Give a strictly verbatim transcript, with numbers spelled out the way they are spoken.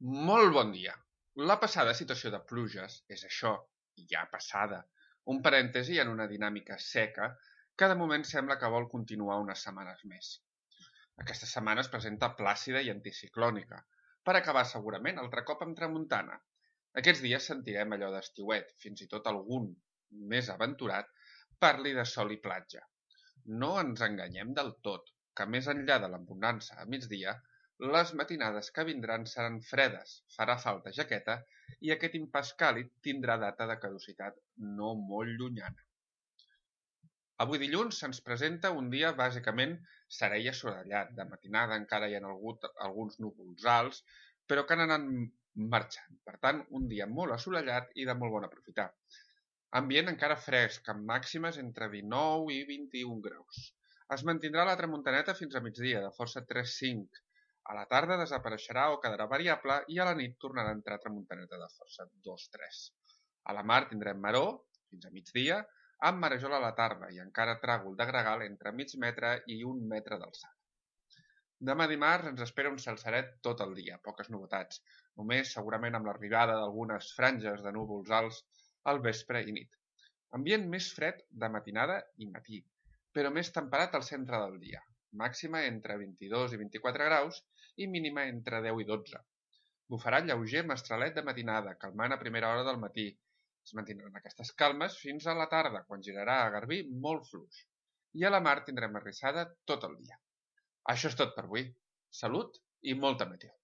Molt bon dia. La passada situació de pluges és això, ja passada, un parèntesi en una dinàmica seca que de moment sembla que vol continuar unes setmanes més. Aquesta setmana es presenta plàcida i anticiclònica, per acabar segurament altre cop amb tramuntana. Aquests dies sentirem allò d'estiuet, fins i tot algun més aventurat parli de sol i platja. No ens enganyem del tot, que més enllà de l'abonança a migdia, les matinades que vindran seran fredes, farà falta jaqueta i aquest impàs càlid tindrà data de caducitat no molt llunyana. Avui dilluns se'ns presenta un dia bàsicament serè i assolellat. De matinada encara hi ha hagut alguns núvols alts, però que han anat marxant. Per tant, un dia molt assolellat i de molt bon aprofitar. Ambient encara fresc, amb màximes entre dinou i vint-i-un graus. Es mantindrà la tramuntaneta fins a migdia, de força tres cinc. A la tarda desapareixerà o quedarà variable i a la nit tornarà a entrar tramuntaneta de força dos tres. A la mar tindrem maró, fins a migdia, amb marejola a la tarda i encara tràgol de gregal entre mig metre i un metre d'alçada. Demà dimarts ens espera un cel seret tot el dia, poques novetats, només segurament amb l'arribada d'algunes franges de núvols alts al vespre i nit. Ambient més fred de matinada i matí, però més temperat al centre del dia, màxima entre vint-i-dos i vint-i-quatre graus i mínima entre deu i dotze. Bufarà lleuger mestralet de matinada, calmant a primera hora del matí. Es mantindran aquestes calmes fins a la tarda, quan girarà a garbí molt fluix. I a la mar tindrem arrissada tot el dia. Això és tot per avui. Salut i molta meteo.